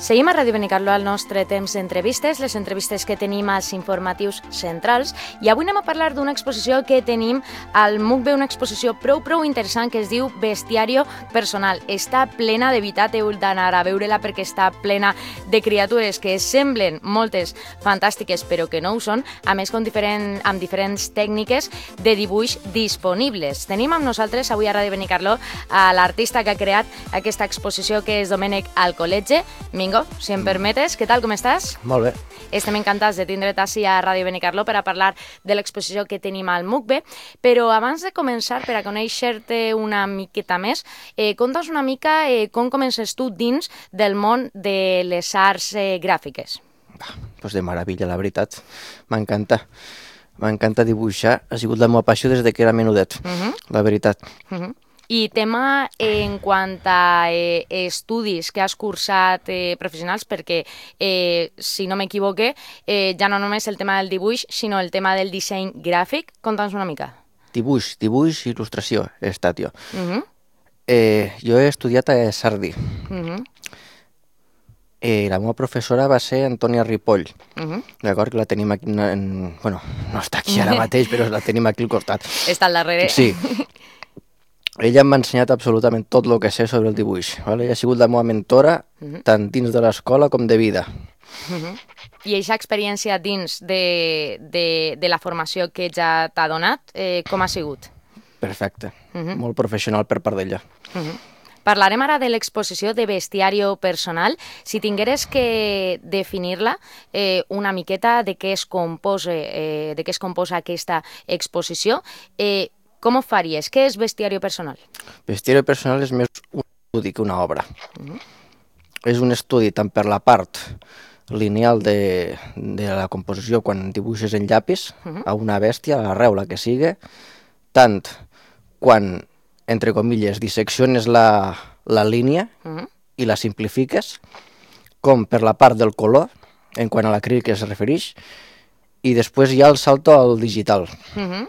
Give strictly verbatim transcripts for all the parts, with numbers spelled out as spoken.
Seguim a Ràdio Benicarló al nostre temps d'entrevistes, les entrevistes que tenim als informatius centrals, i avui anem a parlar d'una exposició que tenim al M U C B, una exposició prou prou interessant que es diu Bestiario Personal. Està plena, de veritat, heu d'anar a veure-la perquè està plena de criatures que semblen moltes fantàstiques però que no ho són, a més amb, diferent, amb diferents tècniques de dibuix disponibles. Tenim amb nosaltres avui a Ràdio Benicarló a l'artista que ha creat aquesta exposició, que és Domènec Alcoletge. Mingo, si em permetes, què tal, com estàs? Molt bé. Estem encantats de tindre't ací a Ràdio Benicarló per a parlar de l'exposició que tenim al M U C B, però abans de començar, per a conèixer-te una miqueta més, eh, conta'ns una mica eh, com comences tu dins del món de les arts eh, gràfiques. Doncs de meravella, la veritat. M'encanta. M'encanta dibuixar. Ha sigut la meva passió des que era menudet, uh -huh. la veritat. Uh -huh. I tema en quant a eh, estudis que has cursat eh, professionals, perquè, eh, si no m'equivoque, eh, ja no només el tema del dibuix, sinó el tema del disseny gràfic. Conta'ns una mica. Dibuix, dibuix i il·lustració he estat jo. Uh -huh. eh, jo he estudiat a Sardí. Uh -huh. eh, la meva professora va ser Antònia Ripoll. Uh -huh. D'acord, que la tenim aquí, en, bueno, no està aquí ara mateix, però la tenim aquí al costat. Està al darrere. Sí. Ella m'ha ensenyat absolutament tot el que sé sobre el dibuix. Vale? Ella ha sigut la meva mentora, uh -huh. tant dins de l'escola com de vida. Uh -huh. I aquesta experiència dins de, de, de la formació que ja t'ha donat, eh, com ha sigut? Perfecte. Uh -huh. Molt professional per part d'ella. Uh -huh. Parlarem ara de l'exposició de Bestiario Personal. Si tingueres que definir-la eh, una miqueta de què es composa, eh, de què es composa aquesta exposició, eh, com ho faries? Què és Bestiario Personal? Bestiario Personal és més un estudi que una obra. Uh -huh. És un estudi tant per la part lineal de, de la composició, quan dibuixes en llapis, uh -huh. a una bèstia, a la reula que sigui, tant quan, entre comilles, dissecciones la, la línia uh -huh. i la simplifiques, com per la part del color, en quant a l'acrílic es refereix, i després hi ha el salto al digital. Uh -huh.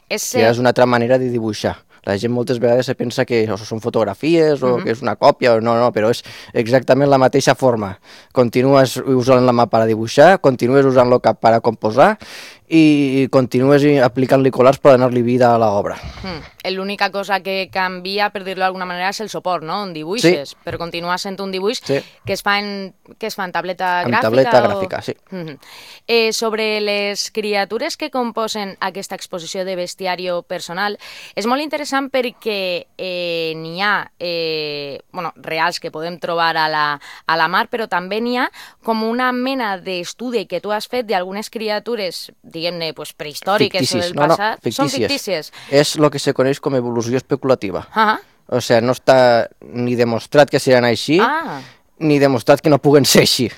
Ese... que és una altra manera de dibuixar. La gent moltes vegades se pensa que són fotografies o uh -huh. que és una còpia, o no, no, però és exactament la mateixa forma. Continues usant la mà per a dibuixar, continues usant el cap per a composar i continues aplicant-li colors per donar-li vida a l'obra. Hmm. L'única cosa que canvia, per dir-lo d'alguna manera, és el suport, no? On dibuixes, sí. Però continua sent un dibuix sí. que es fa en, que es fa en tableta en gràfica. En tableta o... gràfica, sí. Mm-hmm. eh, sobre les criatures que composen aquesta exposició de Bestiario Personal, és molt interessant perquè eh, n'hi ha eh, bueno, reals que podem trobar a la, a la mar, però també n'hi ha com una mena d'estudi que tu has fet d'algunes criatures, diguem-ne, pues, prehistòriques ficticis. o del no, passat. No, fictícies. Són fictícies. És el que se coneix com evolució especulativa. Uh -huh. O sigui, no està ni demostrat que seran així, ah. ni demostrat que no puguen ser així.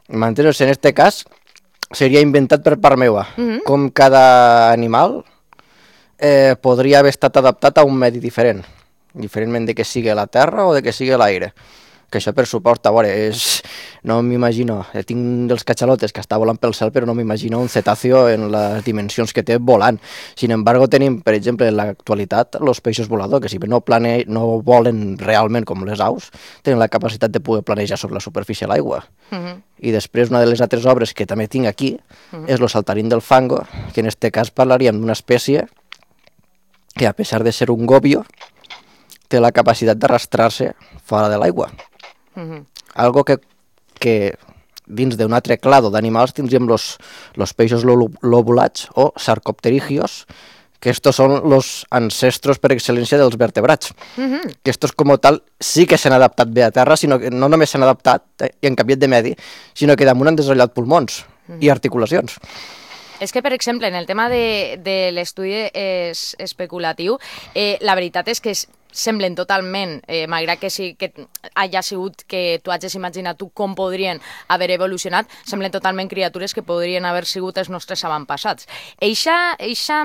M'entens? En aquest cas, seria inventat per part meva. Uh -huh. Com cada animal eh, podria haver estat adaptat a un medi diferent, diferentment de que sigui la terra o de que sigui l'aire. Que això per suport, a veure, és... no m'imagino, tinc dels catxalotes que està volant pel cel, però no m'imagino un cetàceo en les dimensions que té volant. Sin embargo, tenim, per exemple, en l'actualitat, els peixos voladors, que si bé no, plane... no volen realment com les aus, tenen la capacitat de poder planejar sobre la superfície de l'aigua. Uh -huh. I després, una de les altres obres que també tinc aquí uh -huh. és el saltarín del fango, que en este cas parlaríem d'una espècie que, a pesar de ser un gobio, té la capacitat d'arrastrar-se fora de l'aigua. Uh -huh. Algo que, que dins d'un altre clado d'animals tindríem los, los peixos lobulats o sarcopterigios, que estos són los ancestros per excel·lència dels vertebrats. Uh -huh. Que estos com tal sí que s'han adaptat bé a terra, sinó que no només s'han adaptat eh, i han canviat de medi, sinó que damunt han desenvolupat pulmons uh -huh. i articulacions. És que, per exemple, en el tema de, de l'estudi es, especulatiu, eh, la veritat és que és, semblen totalment, eh, malgrat que, sí, que hagi sigut que tu hagis imaginat tu com podrien haver evolucionat, semblen totalment criatures que podrien haver sigut els nostres avantpassats. Eixa, eixa,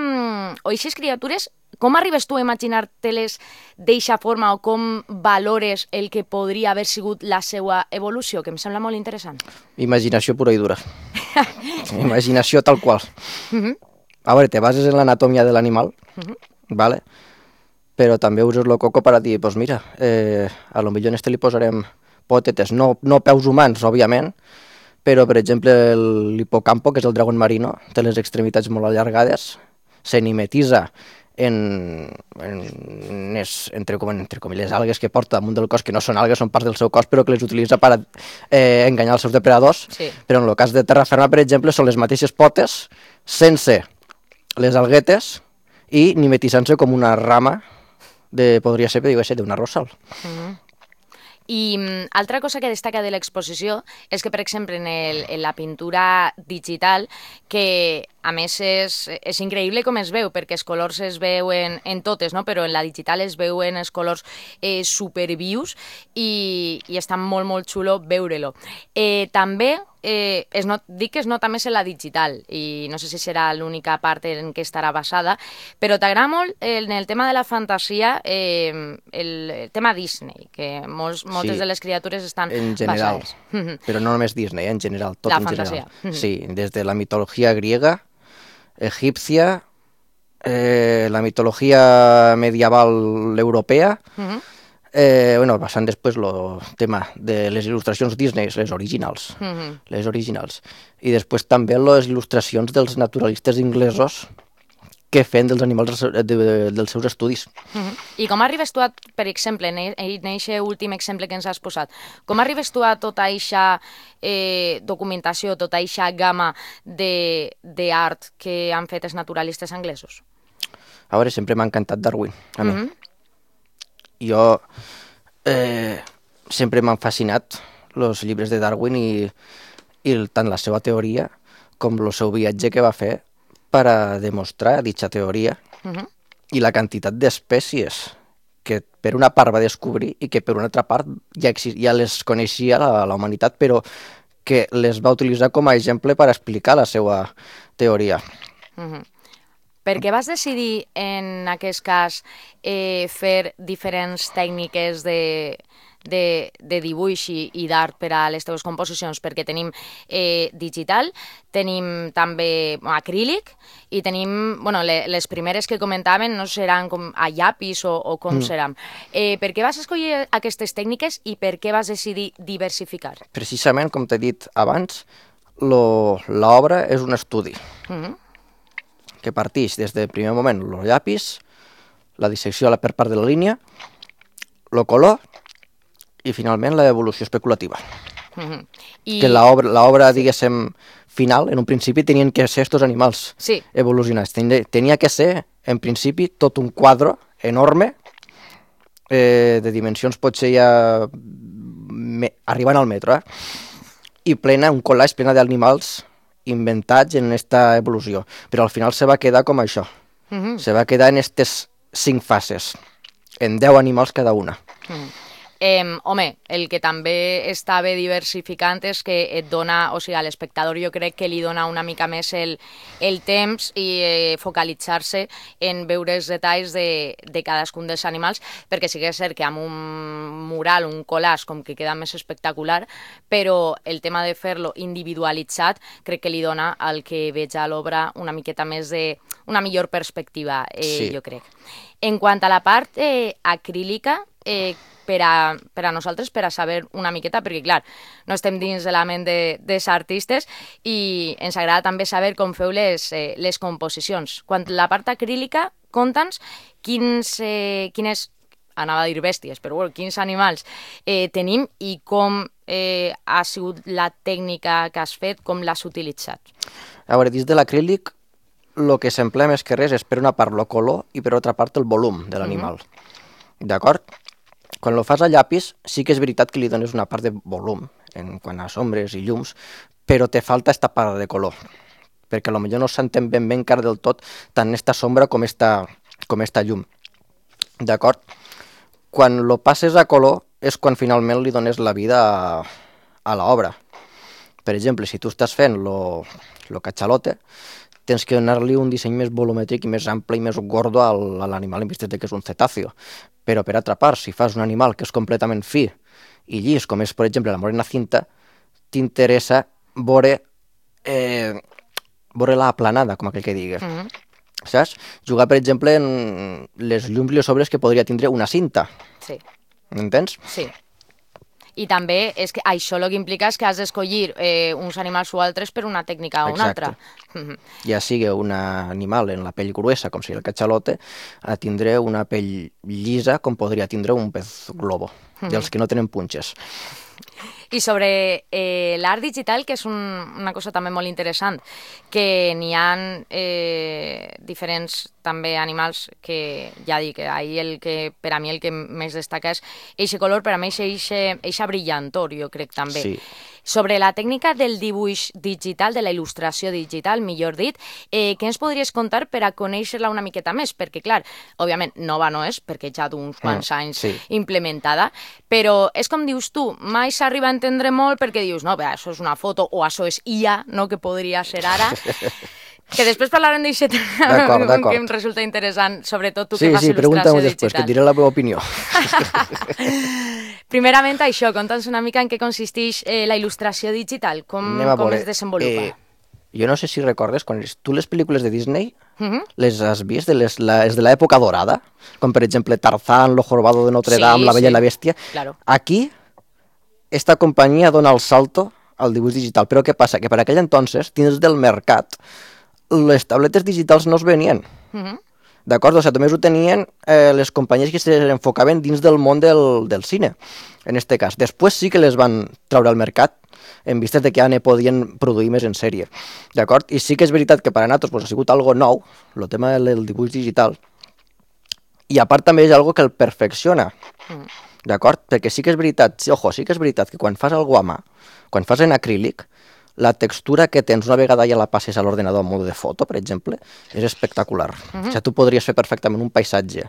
o eixes criatures, com arribes tu a imaginar-te-les d'eixa forma o com valores el que podria haver sigut la seva evolució, que em sembla molt interessant? Imaginació pura i dura. Imaginació tal qual. Uh -huh. A veure, te bases en l'anatomia de l'animal, uh -huh. ¿vale? Però també uses el coco per a dir, doncs mira, eh, a lo millor en este li posarem potetes, no, no peus humans, òbviament, però, per exemple, l'hipocampo, que és el dragon marino, té les extremitats molt allargades, se mimetitza en, en les, entre, entre comilles, algues que porta damunt del cos, que no són algues, són parts del seu cos, però que les utilitza per eh, enganyar els seus depredadors. Sí. Però en el cas de terra ferma, per exemple, són les mateixes potes, sense les alguetes i mimetitzant-se com una rama, de, podria ser, digue ser, d'una rossal. Mm-hmm. I um, altra cosa que destaca de l'exposició és que, per exemple, en, el, en la pintura digital, que a més és, és increïble com es veu, perquè els colors es veuen en totes, no? Però en la digital es veuen els colors eh, supervius i, i està molt, molt xulo veure-lo. Eh, també eh, es not, dic que es nota més en la digital i no sé si serà l'única part en què estarà basada, però t'agrada molt en el tema de la fantasia eh, el, el tema Disney, que molts, moltes sí, de les criatures estan en general, basades. Però no només Disney, en general, tot la en fantasia. general. Sí, des de la mitologia griega, egipcia, eh, la mitología medieval europea, uh-huh. eh, bueno, passant després el tema de les il·lustracions Disney, les originals, uh-huh. les originals, i després també les il·lustracions dels naturalistes inglesos que feien dels animals de, de, dels seus estudis. Uh-huh. I com arribes tu, a, per exemple, en aquest últim exemple que ens has posat, com arribes tu a tota aquesta eh, documentació, tota aquesta gamma d'art que han fet els naturalistes anglesos? A veure, sempre m'ha encantat Darwin, a mi. Uh-huh. Jo eh, sempre m'han fascinat els llibres de Darwin i, i tant la seva teoria com el seu viatge que va fer per a demostrar dicha teoria uh-huh. i la quantitat d'espècies que per una part va descobrir i que per una altra part ja, ja les coneixia la, la humanitat, però que les va utilitzar com a exemple per explicar la seva teoria. Uh-huh. Per què vas decidir, en aquest cas, eh, fer diferents tècniques de, de, de dibuix i, i d'art per a les teves composicions? Perquè tenim eh, digital, tenim també acrílic i tenim, bueno, le, les primeres que comentaven no seran com a llapis o, o com mm. seran. Eh, per què vas escollir aquestes tècniques i per què vas decidir diversificar? Precisament, com t'he dit abans, l'obra és un estudi. Mm-hmm. que parteix des del primer moment el llapis, la dissecció per part de la línia, el color i finalment l'evolució especulativa. Mm-hmm. I... Que l'obra, diguéssim, final, en un principi tenien que ser estos animals sí. evolucionats. Tenia, tenia que ser, en principi, tot un quadre enorme, eh, de dimensions potser ja me, arribant al metro, eh? I plena, un collage plena d'animals inventats en aquesta evolució, però al final se va quedar com això, uh-huh. se va quedar en aquestes cinc fases, en deu animals cada una. Uh-huh. Eh, home, el que també està bé diversificant és que et dona, o sigui, a l'espectador jo crec que li dona una mica més el, el temps i eh, focalitzar-se en veure els detalls de, de cadascun dels animals, perquè sí que és cert que amb un mural, un collage, com que queda més espectacular, però el tema de fer-lo individualitzat crec que li dona al que veig a l'obra una miqueta més de... una millor perspectiva, eh, sí. jo crec. En quant a la part eh, acrílica, eh, per a, per a nosaltres, per a saber una miqueta, perquè, clar, no estem dins de la ment de, dels artistes i ens agrada també saber com feu les, eh, les composicions. Quant a la part acrílica, conta'ns quins, eh, quines, anava a dir bèsties, però bueno, quins animals eh, tenim i com eh, ha sigut la tècnica que has fet, com l'has utilitzat. A veure, dins de l'acrílic, el que s'emplea més que res és per una part el color i per altra part el volum de l'animal. Mm-hmm. D'acord? Quan lo fas a llapis, sí que és veritat que li dones una part de volum, en quant a sombres i llums, però te falta esta part de color, perquè potser no s'entén ben bé encara del tot tant esta sombra com esta, com esta llum. D'acord? Quan lo passes a color és quan finalment li dones la vida a, a l'obra. Per exemple, si tu estàs fent lo, lo cachalote, tens que donar-li un disseny més volumètric i més ample i més gordo a l'animal en vistes de que és un cetàceo. Però per altra part, si fas un animal que és completament fi i llis, com és, per exemple, la morena cinta, t'interessa veure, eh, veure la aplanada, com aquell que digues. Mm-hmm. Saps? Jugar, per exemple, en les llums i les obres que podria tindre una cinta. Sí. M'entens? Sí. I també és que això el que implica és que has d'escollir eh, uns animals o altres per una tècnica o una altra. Ja sigui un animal en la pell gruesa, com sigui el catxalote, a tindre una pell llisa, com podria tindre un pez globo, dels que no tenen punxes. I sobre eh, l'art digital, que és un, una cosa també molt interessant, que n'hi ha eh, diferents també animals que, ja dic, ahir el que, per a mi el que més destaca és eixe color, per a mi és eixa brillantor, jo crec també. Sí. Sobre la tècnica del dibuix digital, de la il·lustració digital, millor dit, eh, què ens podries contar per a conèixer-la una miqueta més? Perquè, clar, òbviament, nova no és, perquè ja d'uns quants anys sí. implementada, però és com dius tu, mai s'arriba a entendre molt perquè dius, no, bé, això és una foto o això és I A, no?, que podria ser ara. Que després parlarem d'això que em resulta interessant, sobretot tu sí, que fas sí, il·lustració digital. Sí, sí, després, que et diré la meva opinió. Primerament això, conta'ns una mica en què consisteix eh, la il·lustració digital, com, com es desenvolupa. Eh, jo no sé si recordes, quan tu les pel·lícules de Disney uh-huh. les has vist, de les, la, és de l'època dorada, com per exemple Tarzán, Lo jorobado de Notre Dame, sí, La bella sí. i la bèstia. Claro. Aquí, esta companyia dona el salto al dibuix digital, però què passa? Que per aquell entonces, dins del mercat, les tabletes digitals no es venien. Uh-huh. D'acord? O sigui, només ho tenien eh, les companyies que s'enfocaven dins del món del, del cine, en este cas. Després sí que les van treure al mercat, en vistes de que ja ne podien produir més en sèrie. D'acord? I sí que és veritat que per a nosaltres pues, ha sigut algo nou, el tema del dibuix digital, i a part també és algo que el perfecciona. Mm. D'acord? Perquè sí que és veritat, sí, ojo, sí que és veritat que quan fas algo a mà, quan fas en acrílic, la textura que tens una vegada ja la passes a l'ordenador en mode de foto, per exemple, és espectacular. Uh-huh. O sigui, tu podries fer perfectament un paisatge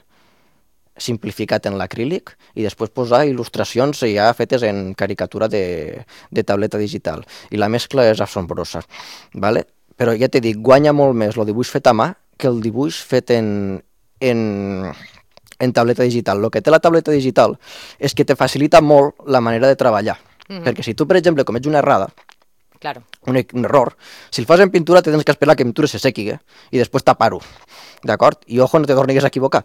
simplificat en l'acrílic i després posar il·lustracions ja fetes en caricatura de, de tableta digital. I la mescla és assombrosa. ¿Vale? Però ja t'he dit, guanya molt més el dibuix fet a mà que el dibuix fet en, en, en tableta digital. El que té la tableta digital és que te facilita molt la manera de treballar. Uh-huh. Perquè si tu, per exemple, comets una errada, Claro. Un, un error. Si el fas en pintura, tens que esperar que la pintura se sequi, eh? I després tapar-ho, d'acord? I ojo, no te tornis a equivocar.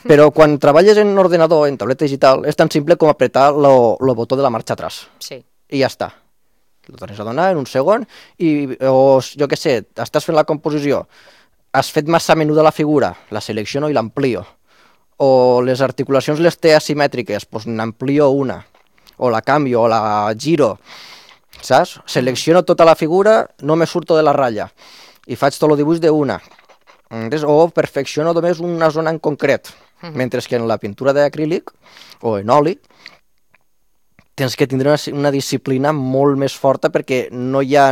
Però quan treballes en ordenador, en tableta digital, és tan simple com apretar el botó de la marxa atrás. Sí. I ja està. Lo tornes a donar en un segon i, o, jo què sé, estàs fent la composició, has fet massa menuda la figura, la selecciono i l'amplio. O les articulacions les té asimètriques, doncs n'amplio una. O la canvio, o la giro. Saps? Selecciono tota la figura, no me surto de la ratlla i faig tot el dibuix d'una. O perfecciono només una zona en concret, uh-huh. mentre que en la pintura d'acrílic o en oli tens que tindre una, una disciplina molt més forta perquè no hi ha,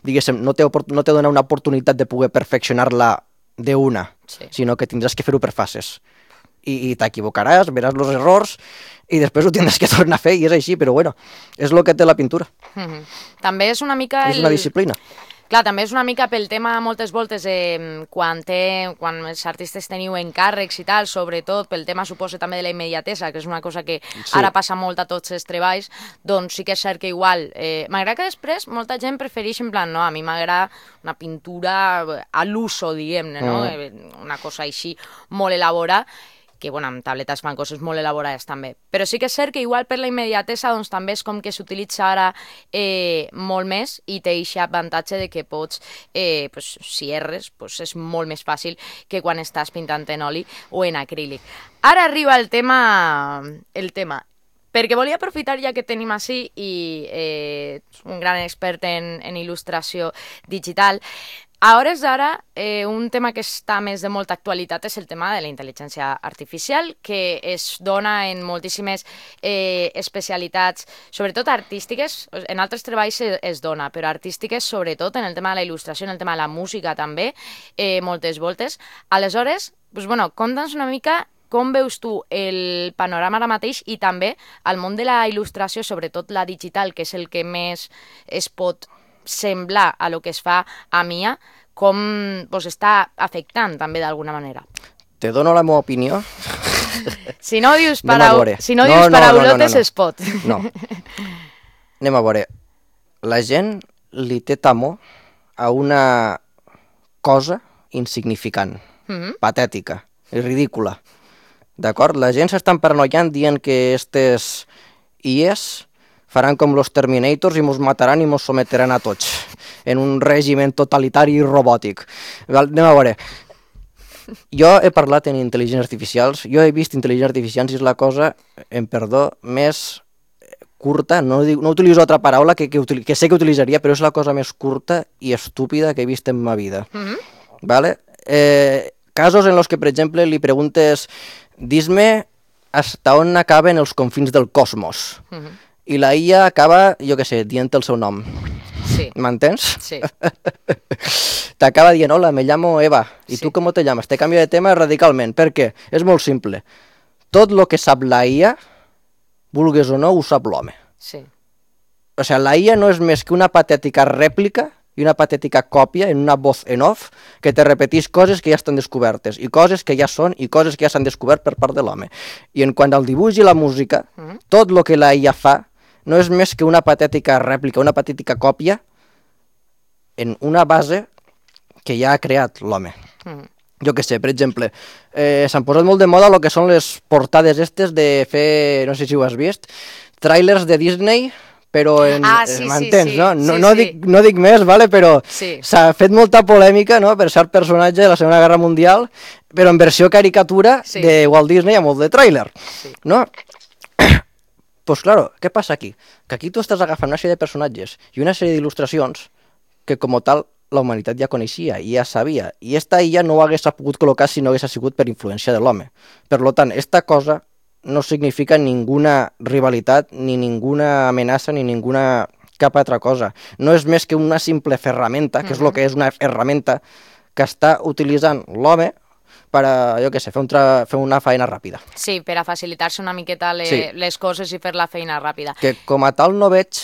diguéssim, no te, no te dona una oportunitat de poder perfeccionar-la d'una, sí. sinó que tindràs que fer-ho per fases. I, i t'equivocaràs, veràs els errors i després ho tindràs que tornar a fer i és així, però bueno, és el que té la pintura. Mm-hmm. També és una mica... És el... una disciplina. Clar, també és una mica pel tema moltes voltes eh, quan, té, quan els artistes teniu encàrrecs i tal, sobretot pel tema suposa també de la immediatesa, que és una cosa que sí. ara passa molt a tots els treballs, doncs sí que és cert que igual, eh, m'agrada que després molta gent prefereix en plan, no, a mi m'agrada una pintura a l'uso, diguem-ne, no? Mm. Una cosa així molt elaborada, que bueno, amb tabletes fan coses molt elaborades també. Però sí que és cert que igual per la immediatesa doncs, també és com que s'utilitza ara eh, molt més i té aquest avantatge de que pots, eh, pues, si erres, pues, és molt més fàcil que quan estàs pintant en oli o en acrílic. Ara arriba el tema, el tema. Perquè volia aprofitar ja que tenim així i eh, un gran expert en, en il·lustració digital. A hores d'ara, eh, un tema que està més de molta actualitat és el tema de la intel·ligència artificial, que es dona en moltíssimes eh, especialitats, sobretot artístiques, en altres treballs es, es dona, però artístiques sobretot en el tema de la il·lustració, en el tema de la música també, eh, moltes voltes. Aleshores, doncs, bueno, conta'ns una mica com veus tu el panorama ara mateix i també el món de la il·lustració, sobretot la digital, que és el que més es pot semblar a lo que es fa a M I A, com pues, està afectant també d'alguna manera. Te dono la meva opinió. Si no dius, parau... si no dius no, no, paraulotes no, no, no, no. es pot. No. Anem a veure. La gent li té temor a una cosa insignificant, mm-hmm. patètica i ridícula. D'acord? La gent s'estan paranoiant dient que aquestes I Es faran com los Terminators i mos mataran i mos sometran a tots en un règim totalitari i robòtic. Anem a veure. Jo he parlat en intel·ligències artificials, jo he vist intel·ligències artificials i és la cosa, en perdó, més curta, no, dic, no utilitzo altra paraula que, que, que sé que utilitzaria, però és la cosa més curta i estúpida que he vist en ma vida. Mm-hmm. Vale? Eh, casos en los que, per exemple, li preguntes dis-me hasta on acaben els confins del cosmos. Mm-hmm. I la I A acaba, jo què sé, dient el seu nom. Sí. M'entens? Sí. T'acaba dient, hola, me llamo Eva. I sí. tu com te llames? Te canvio de tema radicalment. Per què? És molt simple. Tot el que sap la I A, vulgues o no, ho sap l'home. Sí. O sigui, la I A no és més que una patètica rèplica i una patètica còpia en una voz en off que te repetís coses que ja estan descobertes i coses que ja són i coses que ja s'han descobert per part de l'home. I en quant al dibuix i la música, mm. tot el que la I A fa no és més que una patètica rèplica, una patètica còpia en una base que ja ha creat l'home. Mm. Jo què sé, per exemple, eh, s'han posat molt de moda el que són les portades estes de fer, no sé si ho has vist, tràilers de Disney, però en, ah, sí, m'entens, sí, sí, no? No, sí, no, sí. dic, no dic més, vale? Però sí. s'ha fet molta polèmica, no?, per ser personatge de la Segona Guerra Mundial, però en versió caricatura sí. de Walt Disney amb molt de tràiler, sí. no? Pues claro, què passa aquí? Que aquí tu estàs agafant una sèrie de personatges i una sèrie d'il·lustracions que com tal la humanitat ja coneixia i ja sabia, i esta I A no ho hagués pogut col·locar si no hagués sigut per influència de l'home. Per tant, esta cosa no significa ninguna rivalitat, ni ninguna amenaça, ni ninguna cap altra cosa. No és més que una simple ferramenta, que és el que és una ferramenta que està utilitzant l'home per a, jo què sé, fer, un tra... fer una feina ràpida. Sí, per a facilitar-se una miqueta le... sí. les coses i fer la feina ràpida. Que com a tal no veig,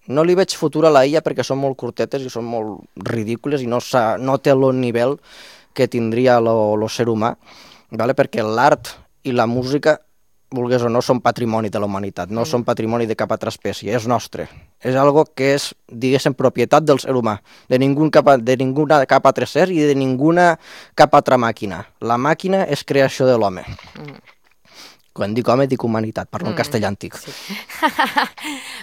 no li veig futur a la I A perquè són molt curtetes i són molt ridícules i no, no té el nivell que tindria el ser humà, vale? Perquè l'art i la música, vulgués o no, són patrimoni de la humanitat, no mm. són patrimoni de cap altra espècie, és nostre. És algo que és, diguéssim, propietat del ser humà, de, ningú cap, de ninguna cap altre ser i de ninguna cap altra màquina. La màquina és creació de l'home. Mm. Quan dic home, dic humanitat, parlo mm. en castellà antic. Sí.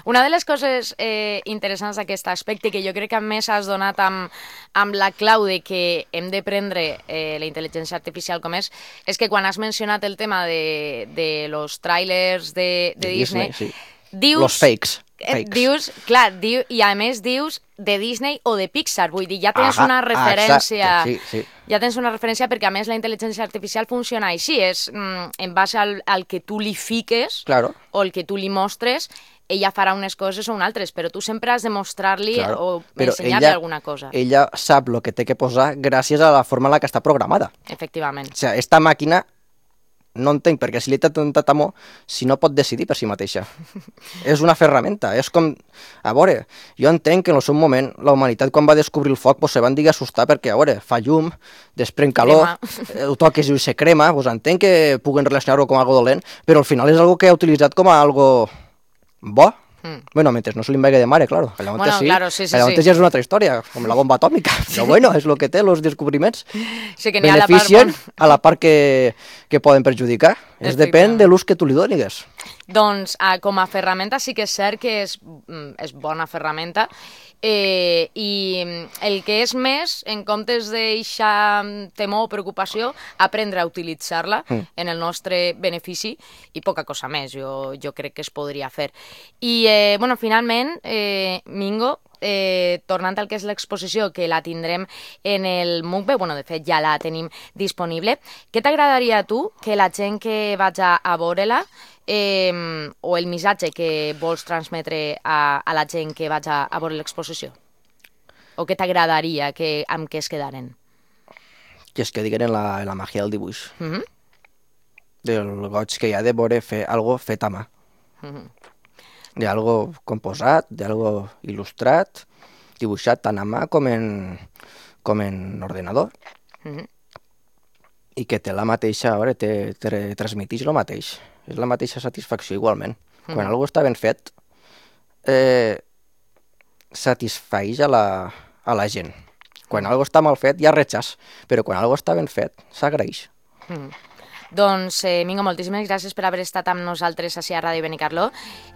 Una de les coses eh, interessants d'aquest aspecte que jo crec que a més has donat amb, amb la clau de que hem de prendre eh, la intel·ligència artificial com és, és que quan has mencionat el tema de, de los trailers de, de, de Disney, Disney sí. dius... Los fakes. fakes. Dius, clar, diu, i a més dius de Disney o de Pixar, vull dir, ja tens Aha, una referència... Exacte, sí, sí. Ja tens una referència perquè, a més, la intel·ligència artificial funciona així, és mm, en base al, al que tu li fiques claro. o el que tu li mostres, ella farà unes coses o unes altres, però tu sempre has de mostrar-li claro. o ensenyar-li alguna cosa. Ella sap el que té que posar gràcies a la forma en la que està programada. Efectivament. O sigui, esta màquina, no entenc, perquè si li té tantat amor, si no pot decidir per si mateixa. És una ferramenta, és com... A veure, jo entenc que en el seu moment la humanitat quan va descobrir el foc pues, se van dir assustar perquè, a veure, fa llum, desprèn calor, ho toques i se crema, pues, entenc que puguen relacionar-ho com algo dolent, però al final és algo que ha utilitzat com a algo bo. Mm. Bueno, mentre no se li envaigui de mare, claro. Allà bueno, sí, claro, sí, sí, allà sí. ja és una altra història, com la bomba atòmica. Però bueno, és el que té, els descobriments. Sí, que beneficien a la part, a la part que, que poden perjudicar. Es depèn de l'ús que tu li donis. Doncs eh, com a ferramenta sí que és cert que és, és bona ferramenta, eh, i el que és més, en comptes d'eixa temor o preocupació, aprendre a utilitzar-la mm. en el nostre benefici i poca cosa més, jo, jo crec que es podria fer. I, eh, bueno, finalment, eh, Mingo, Eh, tornant al que és l'exposició, que la tindrem en el MUCBE, bueno, de fet ja la tenim disponible, què t'agradaria a tu que la gent que vaig a, a veure-la eh, o el missatge que vols transmetre a, a la gent que vaig a, a veure l'exposició? O què t'agradaria que, amb què es quedaren? Que es quedin en la, en la màgia del dibuix. Mm-hmm. Del goig que hi ha de veure fer algo fet a mà. Mm-hmm. De algo composat, de algo il·lustrat, dibuixat tant a mà com en, com en ordenador. Mm-hmm. I que té la mateixa, a veure, te, te transmetix el mateix. És la mateixa satisfacció igualment. Mm-hmm. Quan algo està ben fet, eh, satisfaeix a la, a la gent. Quan algo està mal fet, hi ha rechaç, però quan algo està ben fet, s'agraeix. Mm-hmm. Doncs, eh, Mingo, moltíssimes gràcies per haver estat amb nosaltres així a Ràdio Benicarló.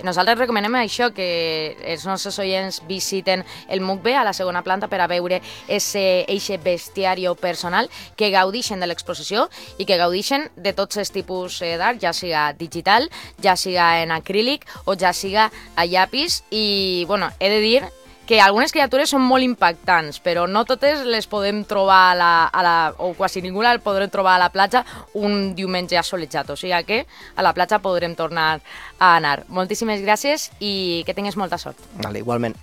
Nosaltres recomanem això, que els nostres oients visiten el M U C B a la segona planta per a veure eixe bestiari personal, que gaudixen de l'exposició i que gaudixen de tots els tipus d'art, ja siga digital, ja siga en acrílic o ja siga a llapis. I, bueno, he de dir que algunes criatures són molt impactants, però no totes les podem trobar a la, a la, o quasi ningú la podrem trobar a la platja un diumenge assolejat, o sigui que a la platja podrem tornar a anar. Moltíssimes gràcies i que tinguis molta sort. Vale, igualment.